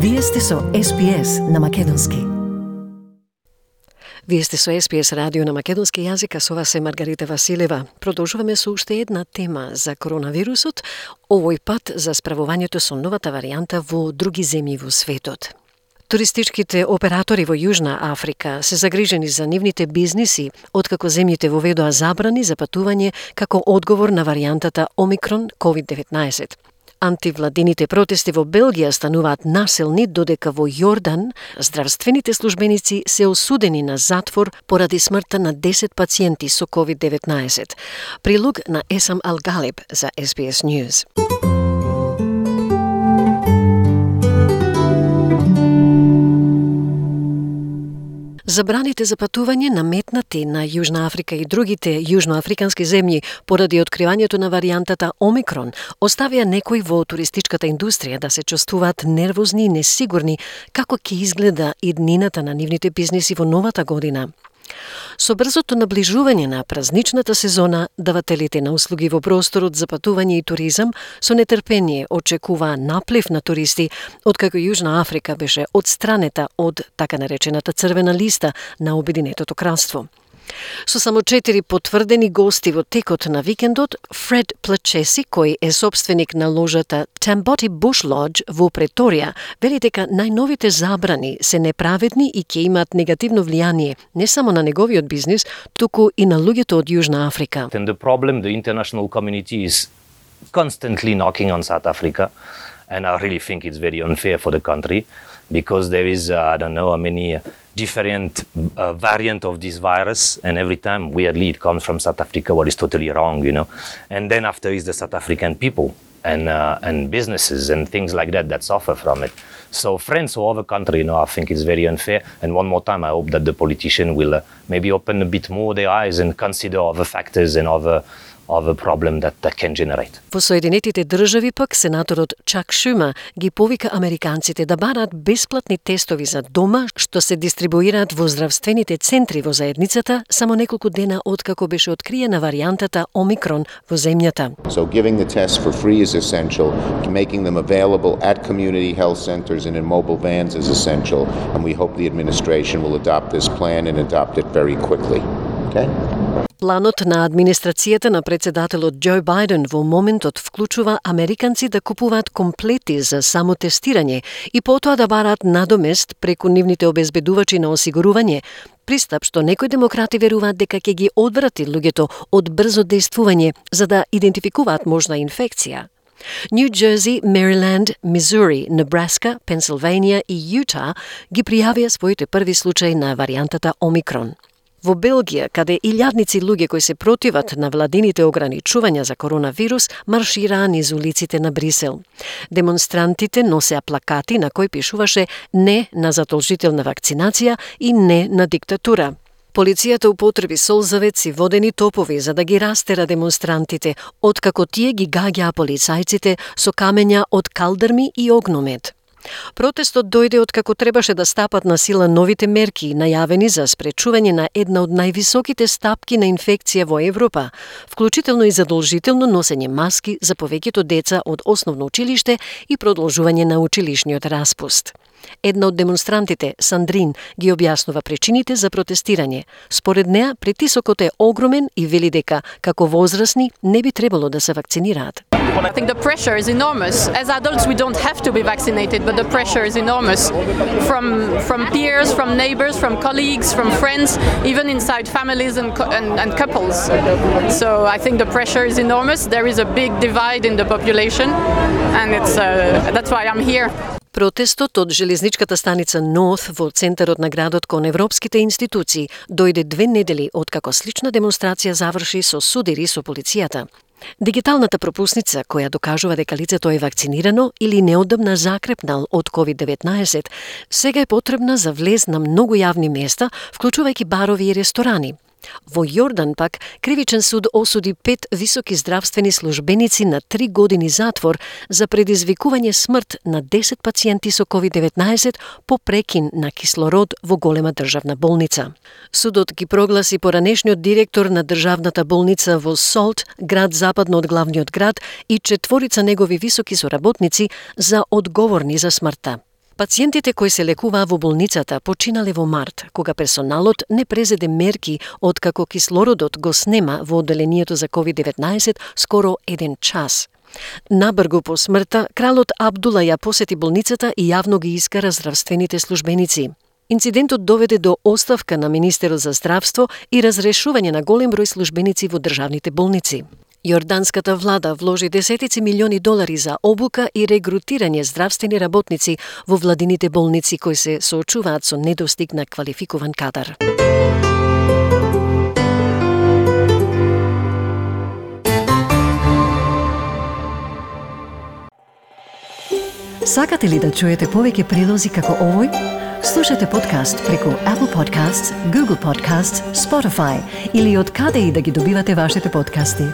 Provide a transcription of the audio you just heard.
Вие сте со SBS на македонски. Вие сте со SBS радио на македонски јазик, а со вас е Маргарита Василева. Продолжуваме со уште една тема за коронавирусот, овој пат за справувањето со новата варијанта во други земји во светот. Туристичките оператори во Јужна Африка се загрижени за нивните бизниси, откако земјите воведоа забрани за патување како одговор на варијантата Омикрон COVID-19. Антивладините протести во Белгија стануваат насилни, додека во Јордан здравствените службеници се осудени на затвор поради смртта на 10 пациенти со COVID-19. Прилог на Есам Ал-Галиб за SBS News. Забраните за патување наметнати на Јужна Африка и другите јужноафрикански земји поради откривањето на варијантата Омикрон оставија некои во туристичката индустрија да се чувствуваат нервозни и несигурни како ќе изгледа иднината на нивните бизниси во новата година. Со брзото наближување на празничната сезона, давателите на услуги во просторот за патување и туризам со нетрпение очекуваа наплив на туристи, откако Јужна Африка беше отстранета од така наречената црвена листа на Обединетото кралство. Со само 4 потврдени гости во текот на викендот, Фред Плачеси, кој е собственик на ложата Tamboti Bush Lodge во Преторија, вели дека најновите забрани се неправедни и ќе имаат негативно влијание не само на неговиот бизнис, туку и на луѓето од Јужна Африка. And the problem, the international community is constantly knocking on South Africa, and I really think it's very unfair for the country because there is, I don't know how many different variant of this virus, and every time, weirdly, it comes from South Africa, what is totally wrong, you know. And then after is the South African people and businesses and things like that suffer from it. So friends all over the country, you know, I think it's very unfair. And one more time, I hope that the politician will maybe open a bit more their eyes and consider other factors and other problem that can generate. Во Соединетите држави пак сенаторот Чак Шума ги повика американците да барат бесплатни тестови за дома што се дистрибуираат во здравствените центри во заедницата само неколку дена откако беше откриена варијантата Омикрон во земјата. So giving the tests for free is essential, making them available at community health centers and in mobile vans is essential, and we hope the administration will adopt this plan and adopt it very quickly. Okay? Планот на администрацијата на председателот Џо Бајден во моментот вклучува американци да купуваат комплети за самотестирање и потоа да бараат надомест преку нивните обезбедувачи на осигурување, пристап што некои демократи веруваат дека ќе ги одврати луѓето од брзо дејствување за да идентификуваат можна инфекција. Нью Џерси, Мериленд, Мизури, Небраска, Пенсилванија и Јута ги пријавија своите први случаи на варијантата Омикрон. Во Белгија, каде илјадници луѓе кои се противат на владините ограничувања за коронавирус, маршираа низ улиците на Брисел. Демонстрантите носеа плакати на кои пишуваше «Не на задолжителна вакцинација» и «Не на диктатура». Полицијата употреби солзавец и водени топови за да ги растера демонстрантите, откако тие ги гаѓаа полицајците со камења од калдрми и огномет. Протестот дојде откако требаше да стапат на сила новите мерки најавени за спречување на една од највисоките стапки на инфекција во Европа, вклучително и задолжително носење маски за повеќето деца од основно училиште и продолжување на училишниот распуст. Една од демонстрантите, Сандрин, ги објаснува причините за протестирање. Според неа, притисокот е огромен и вели дека, како возрасни, не би требало да се вакцинираат. I think the pressure is enormous. As adults, we don't have to be vaccinated, but the pressure is enormous from peers, from neighbors, from colleagues, from friends, even inside families and couples. So I think the pressure is enormous. There is a big divide in the population, and that's why I'm here. Протестот од железничката станица Норth во центарот на градот кон европските институции дојде 2 недели откако слична демонстрација заврши со судири со полицијата. Дигиталната пропусница, која докажува дека лицето е вакцинирано или неодамна закрепнал од COVID-19, сега е потребна за влез на многу јавни места, вклучувајќи барови и ресторани. Во Јордан пак, кривичен суд осуди 5 високи здравствени службеници на 3 години затвор за предизвикување смрт на 10 пациенти со COVID-19 по прекин на кислород во голема државна болница. Судот ги прогласи поранешниот директор на државната болница во Солт, град западно од главниот град, и 4 негови високи соработници за одговорни за смртта. Пациентите кои се лекуваа во болницата починале во март, кога персоналот не презеде мерки откако кислородот го снема во одделението за COVID-19 скоро 1 час. Набргу по смртта, кралот Абдула ја посети болницата и јавно ги искара здравствените службеници. Инцидентот доведе до оставка на министерот за здравство и разрешување на голем број службеници во државните болници. Јорданската влада вложи десетици милиони долари за обука и регрутирање здравствени работници во владините болници кои се соочуваат со недостиг на квалификуван кадар. Сакате ли да чуете повеќе прилози како овој? Слушате подкаст преку Apple Podcasts, Google Podcasts, Spotify или од каде и да ги добивате вашите подкасти.